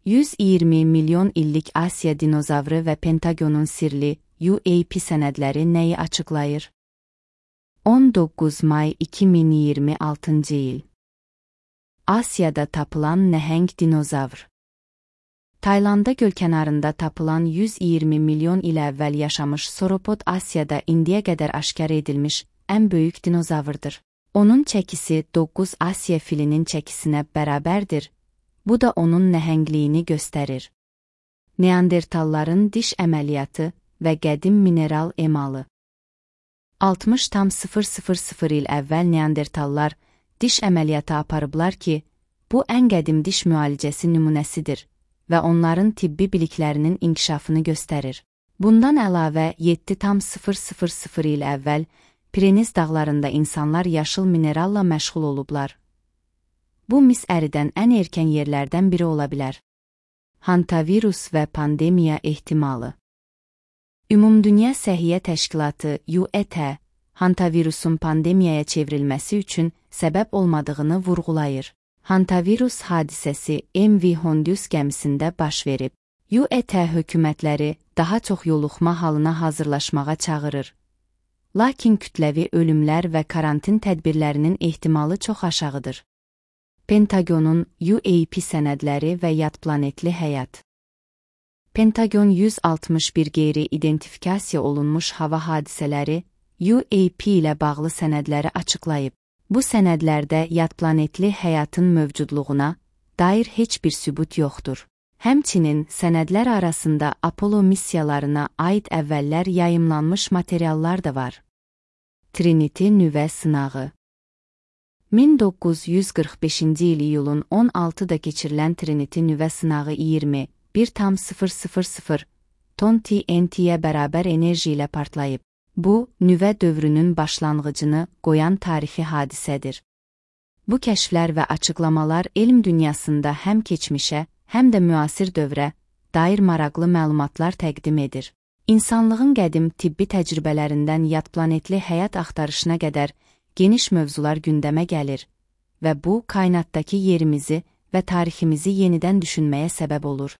120 milyon illik Asiya dinozavrı və Pentagonun sirli UAP sənədləri nəyi açıqlayır? 19 may 2026 il. Asiyada tapılan nəhəng dinozavr. Taylandda gölkənarında tapılan 120 milyon il əvvəl yaşamış sauropod Asiyada indiyə qədər aşkar edilmiş ən böyük dinozavrdır. Onun çəkisi 9 Asiya filinin çəkisinə bərabərdir. Bu da onun nəhəngliyini göstərir. Neandertalların diş əməliyyatı və qədim mineral emalı. 60,000 il əvvəl neandertallar diş əməliyyatı aparıblar ki, bu ən qədim diş müalicəsi nümunəsidir və onların tibbi biliklərinin inkişafını göstərir. Bundan əlavə 7,000 il əvvəl Pireniz dağlarında insanlar yaşıl mineralla məşğul olublar. Bu mis əridən ən erkən yerlərdən biri ola bilər. Hantavirus və pandemiya ehtimalı. Ümumdünya Səhiyyə Təşkilatı (UET) hantavirusun pandemiyaya çevrilməsi üçün səbəb olmadığını vurğulayır. Hantavirus hadisəsi MV Hondius gəmisində baş verib. UET hökumətləri daha çox yoluxma halına hazırlaşmağa çağırır. Lakin kütləvi ölümlər və karantin tədbirlərinin ehtimalı çox aşağıdır. Pentagonun UAP sənədləri və yadplanetli həyat. Pentagon 161 qeyri-identifikasiya olunmuş hava hadisələri UAP ilə bağlı sənədləri açıqlayıb. Bu sənədlərdə yadplanetli həyatın mövcudluğuna dair heç bir sübut yoxdur. Həmçinin sənədlər arasında Apollo missiyalarına aid əvvəllər yayımlanmış materiallar da var. Trinity nüvə sınağı. 1945-ci il iyulun 16-da keçirilən Trinity nüvə sınağı 21,000 ton TNT-yə bərabər enerji ilə partlayıb. Bu, nüvə dövrünün başlanğıcını qoyan tarixi hadisədir. Bu kəşflər və açıqlamalar elm dünyasında həm keçmişə, həm də müasir dövrə dair maraqlı məlumatlar təqdim edir. İnsanlığın qədim tibbi təcrübələrindən yadplanetli həyat axtarışına qədər geniş mövzular gündəmə gəlir və bu, kainatdakı yerimizi və tariximizi yenidən düşünməyə səbəb olur.